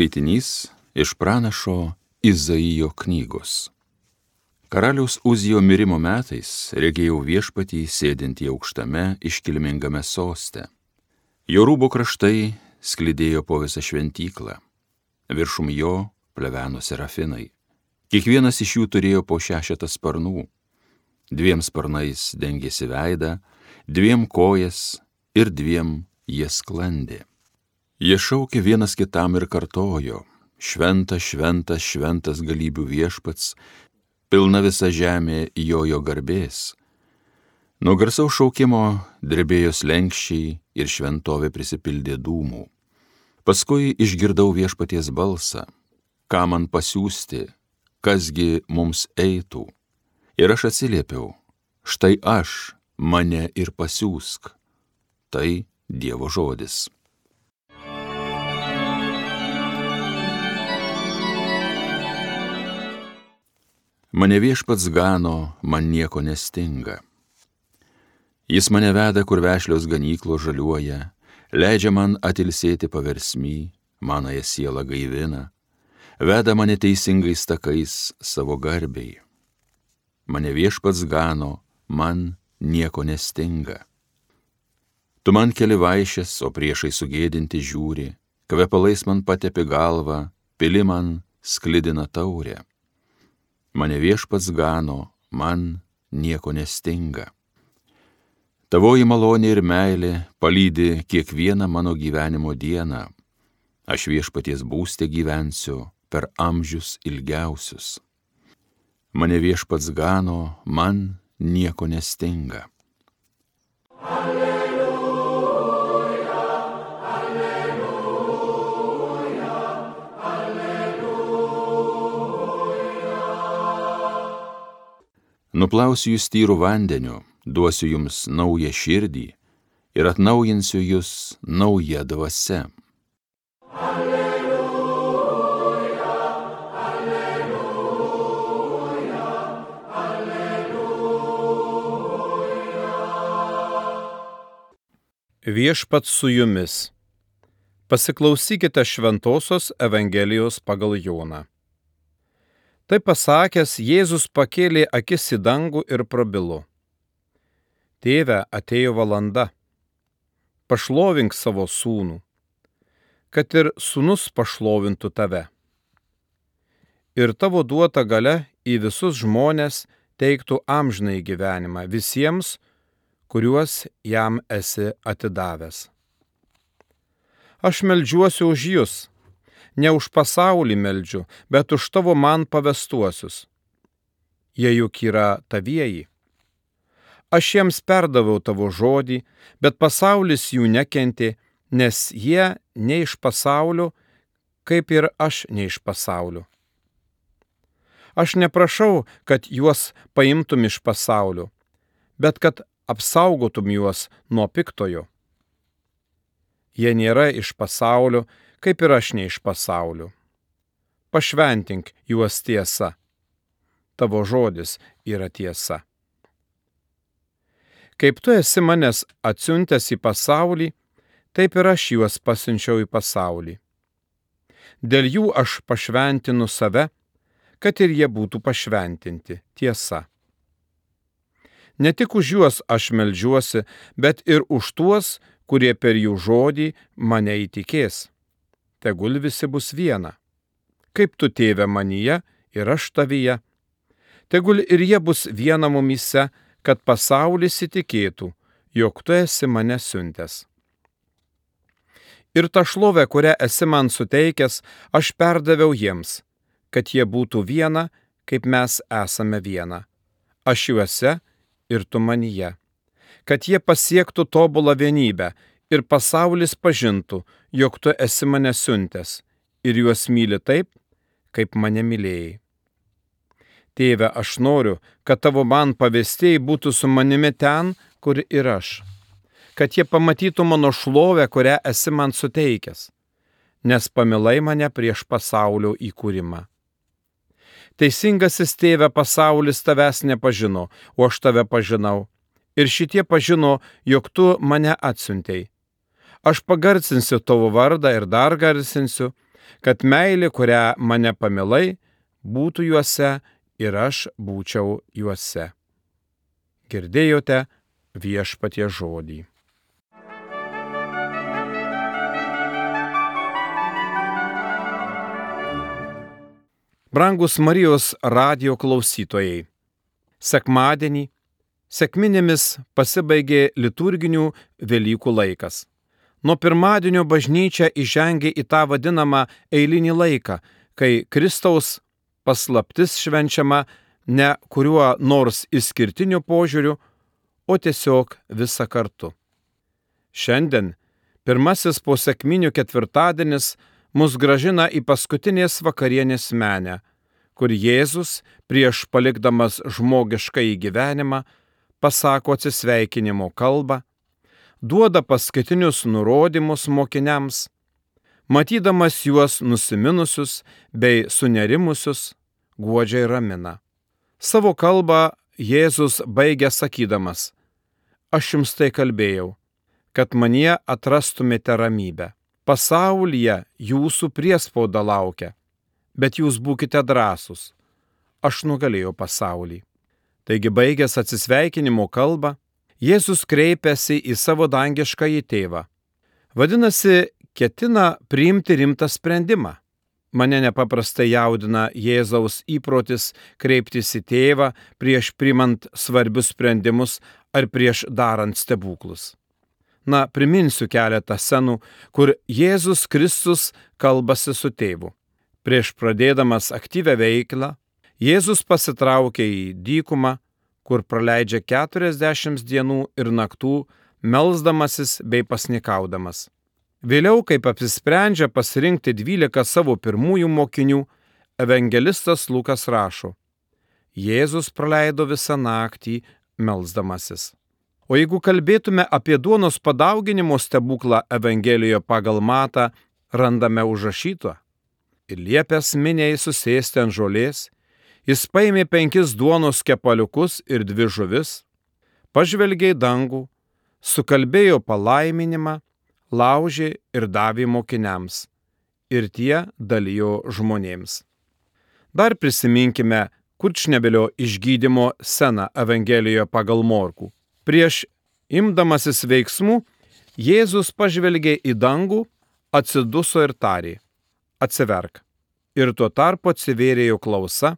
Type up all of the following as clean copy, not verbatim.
Skaitinys iš pranašo Izaijo knygos. Karaliaus Uzijo mirimo metais regėjau viešpatį sėdintį aukštame iškilmingame soste. Jo rūbo kraštai sklidėjo po visą šventyklą. Viršum jo pleveno serafinai. Kiekvienas iš jų turėjo po 6 sparnų. 2 sparnais dengėsi veidą, 2 kojas ir 2 jie sklandė. Jie šaukė vienas kitam ir kartojo: Šventas, šventas, šventas galybių viešpats, pilna visa žemė jo garbės. Nuo garsaus šaukimo drebėjo slenksčiai ir šventovė prisipildė dūmų. Paskui išgirdau viešpaties balsą: ką man pasiųsti, kasgi mums eitų? Ir aš atsiliepiau: štai aš, mane ir pasiųsk. Tai Dievo žodis. Mane viešpats gano, man nieko nestinga. Jis mane veda, kur vešlios ganyklos žaliuoja, leidžia man atilsėti paversmy, manąją sielą gaivina, veda mane teisingais takais savo garbei. Mane viešpats gano, man nieko nestinga. Tu man keli vaišes, o priešai sugėdinti žiūri, kvepalais man patepi galvą, pili man sklidina taurę. Mane viešpats gano, man nieko nestinga. Tavoji malonė ir meilė palydi kiekvieną mano gyvenimo dieną. Aš viešpaties būste gyvensiu per amžius ilgiausius. Mane viešpats gano, man nieko nestinga. Nuplausiu jūs tyrų vandeniu, duosiu jums naują širdį ir atnaujinsiu jūs nauja dvasia. Alleluja, alleluja, alleluja. Viešpats su jumis. Pasiklausykite Šventosios Evangelijos pagal Joną. Tai pasakęs, Jėzus pakėlė akis į dangų ir prabilo: Tėve, atėjo valanda, pašlovink savo sūnų, kad ir sūnus pašlovintų tave. Ir tavo duota galia į visus žmones teiktų amžinąjį gyvenimą visiems, kuriuos jam esi atidavęs. Aš meldžiuosi už jus. Ne už pasaulį meldžiu, bet už tavo man pavestuosius. Jie juk yra tavieji. Aš jiems perdaviau tavo žodį, bet pasaulis jų nekentė, nes jie ne iš pasaulio, kaip ir aš ne iš pasaulio. Aš neprašau, kad juos paimtum iš pasaulio, bet kad apsaugotum juos nuo piktojo. Jie nėra iš pasaulio, kaip ir aš ne iš pasaulio. Pašventink juos tiesa. Tavo žodis yra tiesa. Kaip tu esi manęs atsiuntęs į pasaulį, taip ir aš juos pasiunčiau į pasaulį. Dėl jų aš pašventinu save, kad ir jie būtų pašventinti tiesa. Ne tik už juos aš meldžiuosi, bet ir už tuos, kurie per jų žodį mane įtikės. Tegul visi bus viena. Kaip tu, tėve, manyje ir aš tavyje. Tegul ir jie bus viena mumyse, kad pasaulis įtikėtų, jog tu esi mane siuntęs. Ir tą šlovę, kurią esi man suteikęs, aš perdaviau jiems, kad jie būtų viena, kaip mes esame viena. Aš juose ir tu manyje. Kad jie pasiektų tobulą vienybę ir pasaulis pažintų, jog tu esi mane siuntęs ir juos myli taip, kaip mane mylėjai. Tėve, aš noriu, kad tavo man pavestieji būtų su manimi ten, kur ir aš, kad jie pamatytų mano šlovę, kurią esi man suteikęs, nes pamilai mane prieš pasaulio įkūrimą. Teisingasis tėve, pasaulis tavęs nepažino, o aš tave pažinau, ir šitie pažino, jog tu mane atsiuntei. Aš pagarsinsiu tavo vardą ir dar garsinsiu, kad meilė, kurią mane pamilai, būtų juose ir aš būčiau juose. Girdėjote Viešpaties žodį. Brangus Marijos radijo klausytojai, sekmadienį, sekminėmis pasibaigė liturginių Velykų laikas. Nuo pirmadienio bažnyčia įžengė į tą vadinamą eilinį laiką, kai Kristaus paslaptis švenčiama ne kuriuo nors išskirtiniu požiūriu, o tiesiog visa kartu. Šiandien, pirmasis po sekminių ketvirtadienis, mus gražina į paskutinės vakarienės menę, kur Jėzus, prieš palikdamas žmogiškąjį gyvenimą, pasako atsisveikinimo kalbą, duoda paskutinius nurodymus mokiniams, matydamas juos nusiminusius bei sunerimusius, guodžiai ramina. Savo kalbą Jėzus baigia sakydamas: Aš jums tai kalbėjau, kad manyje atrastumėte ramybę. Pasaulyje jūsų priespauda laukia, bet jūs būkite drąsūs. Aš nugalėjau pasaulį. Taigi, baigęs atsisveikinimo kalbą, Jėzus kreipiasi į savo dangiškąjį tėvą. Vadinasi, ketina priimti rimtą sprendimą. Mane nepaprastai jaudina Jėzaus įprotis kreiptis į tėvą prieš priimant svarbius sprendimus ar prieš darant stebuklus. Priminsiu keletą scenų, kur Jėzus Kristus kalbasi su tėvu. Prieš pradėdamas aktyvią veiklą, Jėzus pasitraukia į dykumą, kur praleidžia 40 dienų ir naktų, melsdamasis bei pasnikaudamas. Vėliau, kaip apsisprendžia pasirinkti 12 savo pirmųjų mokinių, evangelistas Lukas rašo: Jėzus praleido visą naktį melsdamasis. O jeigu kalbėtume apie duonos padauginimo stebuklą Evangelijoje pagal Matą, randame užrašytą: Ir liepęs miniai susėsti ant žolės, jis paėmė 5 duonos kepaliukus ir 2 žuvis, pažvelgė į dangų, sukalbėjo palaiminimą, laužė ir davė mokiniams, ir tie dalijo žmonėms. Dar prisiminkime Kurčnebylio išgydymo sceną Evangelijoje pagal Morkų. Prieš imdamasis veiksmų, Jėzus pažvelgė į dangų, atsiduso ir tarė: Atsiverk. Ir tuo tarpu atsivėrė jo klausa,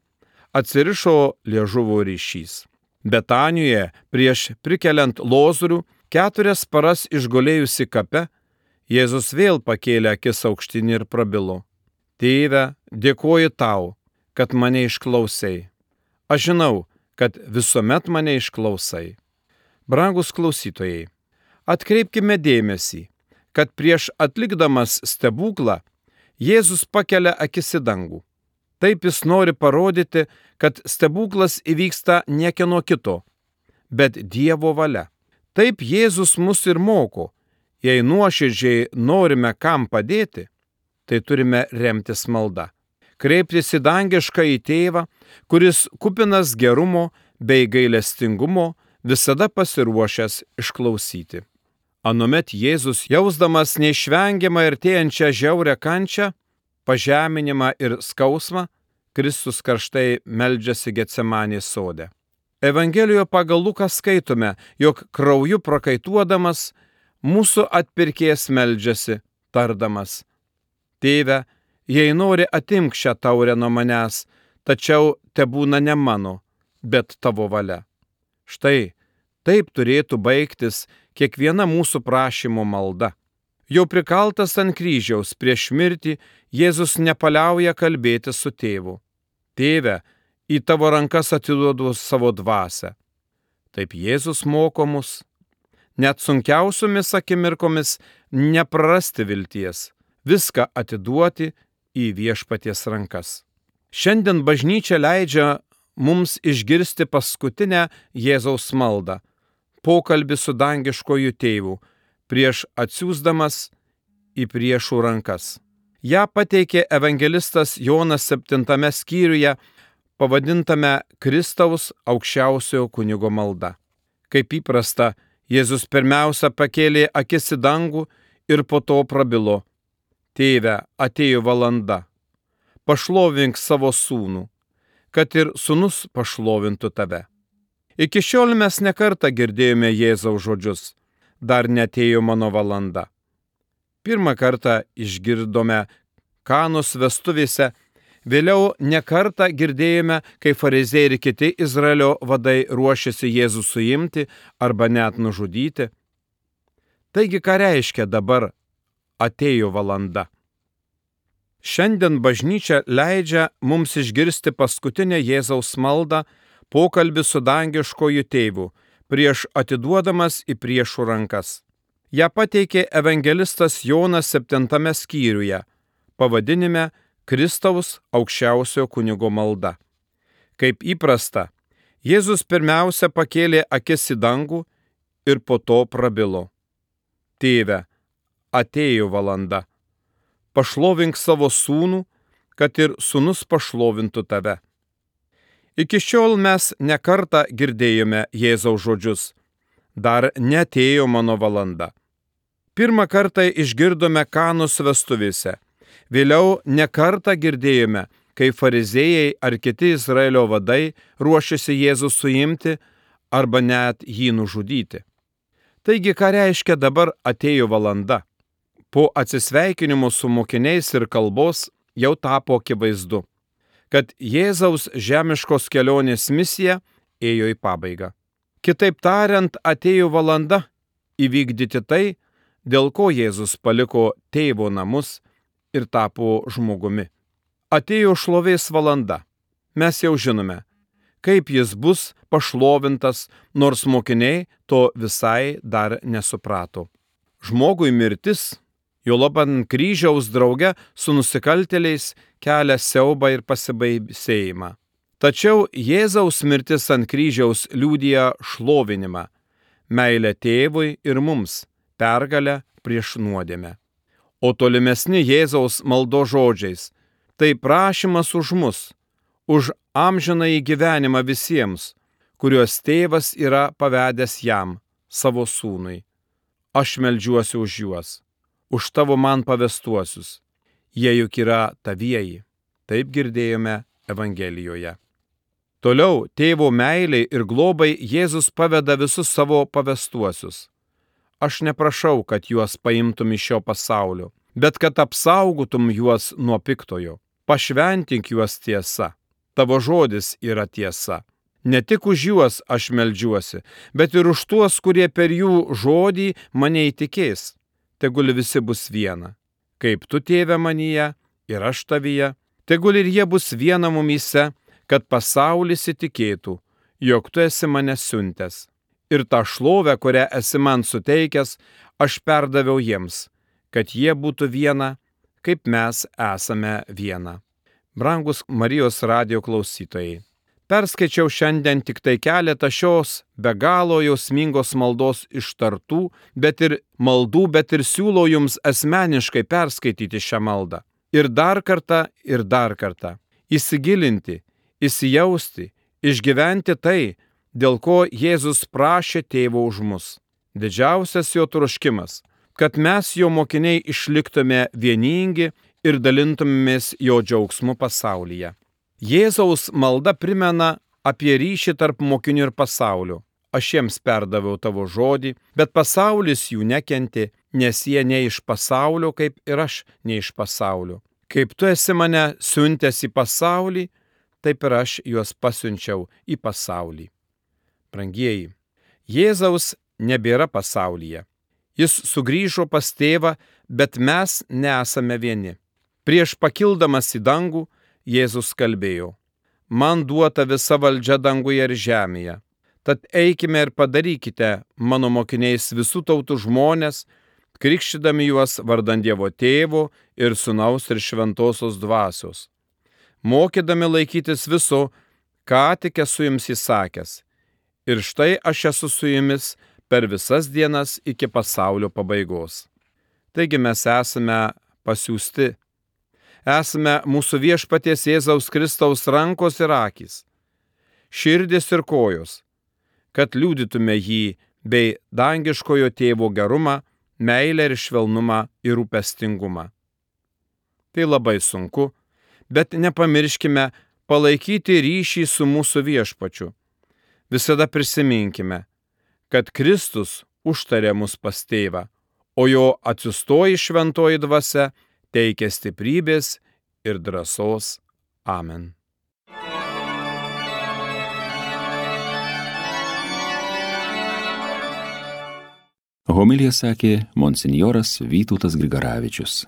atsirišo liežuvo ryšys. Betanijoje, prieš prikeliant Lozorių, 4 paras išgulėjusi kape, Jėzus vėl pakėlė akis aukštyn ir prabilo: Tėve, dėkoju tau, kad mane išklausai. Aš žinau, kad visuomet mane išklausai. Brangus klausytojai, atkreipkime dėmesį, kad prieš atlikdamas stebuklą Jėzus pakelia akis į dangų. Taip jis nori parodyti, kad stebuklas įvyksta niekieno kito, bet Dievo valia. Taip Jėzus mus ir moko: jei nuoširdžiai norime kam padėti, tai turime remtis malda. Kreiptis į dangiškąjį tėvą, kuris kupinas gerumo bei gailestingumo, visada pasiruošęs išklausyti. Anuomet Jėzus, jausdamas neišvengiamą artėjančią žiaurią kančią, pažeminimą ir skausmą, Kristus karštai meldžiasi Getsemanės sode. Evangelijoje pagal Luką skaitome, jog krauju prakaituodamas mūsų atpirkėjas meldžiasi, tardamas: Tėve, jei nori, atimk šią taurę nuo manęs, tačiau tebūna ne mano, bet tavo valia. Štai taip turėtų baigtis kiekviena mūsų prašymo malda. Jau prikaltas ant kryžiaus prieš mirtį, Jėzus nepaliauja kalbėti su tėvu: Tėve, į tavo rankas atiduodu savo dvasią. Taip Jėzus moko mus, net sunkiausiomis akimirkomis neprarasti vilties, viską atiduoti į Viešpaties rankas. Šiandien bažnyčia leidžia mums išgirsti paskutinę Jėzaus maldą, pokalbį su dangiškoju tėvu, prieš atsiųsdamas į priešų rankas. Ja pateikė evangelistas Jonas 7 skyriuje, pavadintame Kristaus aukščiausiojo kunigo malda. Kaip įprasta, Jėzus pirmiausia pakėlė akis į dangų ir po to prabilo: Tėve, atėjo valanda, pašlovink savo sūnų, kad ir sūnus pašlovintų tave. Iki šiol mes nekartą girdėjome Jėzaus žodžius, dar netėjo mano valanda. Pirmą kartą išgirdome Kanos vestuvėse, vėliau nekartą girdėjome, kai fariziejai ir kiti Izraelio vadai ruošėsi Jėzų suimti arba net nužudyti. Taigi, ką reiškia dabar atėjo valanda? Šiandien bažnyčia leidžia mums išgirsti paskutinę Jėzaus maldą, pokalbį su dangiškoju tėvu, prieš atiduodamas į priešų rankas. Ja pateikė evangelistas Jonas 7 skyriuje, pavadinime Kristaus aukščiausiojo kunigo malda. Kaip įprasta, Jėzus pirmiausia pakėlė akis į dangų ir po to prabilo. Tėve, atėjo valanda. Pašlovink savo sūnų, kad ir sūnus pašlovintų tave. Iki šiol mes nekartą girdėjome Jėzaus žodžius. Dar neatėjo mano valanda. Pirmą kartą išgirdome Kanos vestuvėse. Vėliau nekartą girdėjome, kai fariziejai ar kiti Izraelio vadai ruošėsi Jėzų suimti arba net jį nužudyti. Taigi, ką reiškia dabar atėjo valanda? Po atsisveikinimo su mokiniais ir kalbos jau tapo akivaizdu, kad Jėzaus žemiškos kelionės misija ėjo į pabaigą. Kitaip tariant, atėjo valanda įvykdyti tai, dėl ko Jėzus paliko tėvo namus ir tapo žmogumi. Atėjo šlovės valanda. Mes jau žinome, kaip jis bus pašlovintas, nors mokiniai to visai dar nesuprato. Žmogui mirtis, juolab ant kryžiaus drauge su nusikaltėliais, kelia siaubą ir pasibaisėjimą. Tačiau Jėzaus mirtis ant kryžiaus liudija šlovinimą, meilę tėvui ir mums, pergalę prieš nuodėmę. O tolimesni Jėzaus maldo žodžiais – tai prašymas už mus, už amžinąjį gyvenimą visiems, kuriuos tėvas yra pavedęs jam, savo sūnui. Aš meldžiuosi už juos, už tavo man pavestuosius. Jie juk yra tavieji. Taip girdėjome Evangelijoje. Toliau tėvo meiliai ir globai Jėzus paveda visus savo pavestuosius. Aš neprašau, kad juos paimtum iš šio pasaulio, bet kad apsaugotum juos nuo piktojo. Pašventink juos tiesa. Tavo žodis yra tiesa. Ne tik už juos aš meldžiuosi, bet ir už tuos, kurie per jų žodį mane įtikės. Tegul visi bus viena. Kaip tu, tėve, manyje ir aš tavyje, tegul ir jie bus viena mumyse, kad pasaulis įtikėtų, jog tu esi mane siuntęs. Ir tą šlovę, kurią esi man suteikęs, aš perdaviau jiems, kad jie būtų viena, kaip mes esame viena. Brangus Marijos radijo klausytojai, perskaičiau šiandien tik tai keletą šios be galo jausmingos maldos ištartų, bet ir siūlau jums asmeniškai perskaityti šią maldą. Ir dar kartą įsigilinti, įsijausti, išgyventi tai, dėl ko Jėzus prašė tėvo už mus. Didžiausias jo troškimas, kad mes jo mokiniai išliktume vieningi ir dalintumėmės jo džiaugsmu pasaulyje. Jėzaus malda primena apie ryšį tarp mokinių ir pasaulio. Aš jiems perdaviau tavo žodį, bet pasaulis jų nekentė, nes jie ne iš pasaulio, kaip ir aš ne iš pasaulio. Kaip tu esi mane siuntęs į pasaulį, taip ir aš juos pasiunčiau į pasaulį. Brangieji, Jėzaus nebėra pasaulyje. Jis sugrįžo pas tėvą, bet mes nesame vieni. Prieš pakildamas į dangų, Jėzus kalbėjo: man duota visa valdžia danguje ir žemėje. Tad eikime ir padarykite mano mokiniais visų tautų žmonės, krikštydami juos vardan Dievo Tėvo ir Sūnaus ir Šventosios Dvasios, mokydami laikytis viso, ką tik esu jums įsakęs. Ir štai aš esu su jumis per visas dienas iki pasaulio pabaigos. Taigi mes esame pasiųsti. Esame mūsų viešpaties Jėzaus Kristaus rankos ir akys, širdis ir kojos, kad liudytume jį bei dangiškojo tėvo gerumą, meilę ir švelnumą ir rūpestingumą. Tai labai sunku, bet nepamirškime palaikyti ryšį su mūsų Viešpačiu. Visada prisiminkime, kad Kristus užtarė mus pas Tėvą, o jo atsiųstoji šventoji dvasia teikia stiprybės ir drąsos. Amen. Homiliją sakė monsinjoras Vytautas Grigaravičius.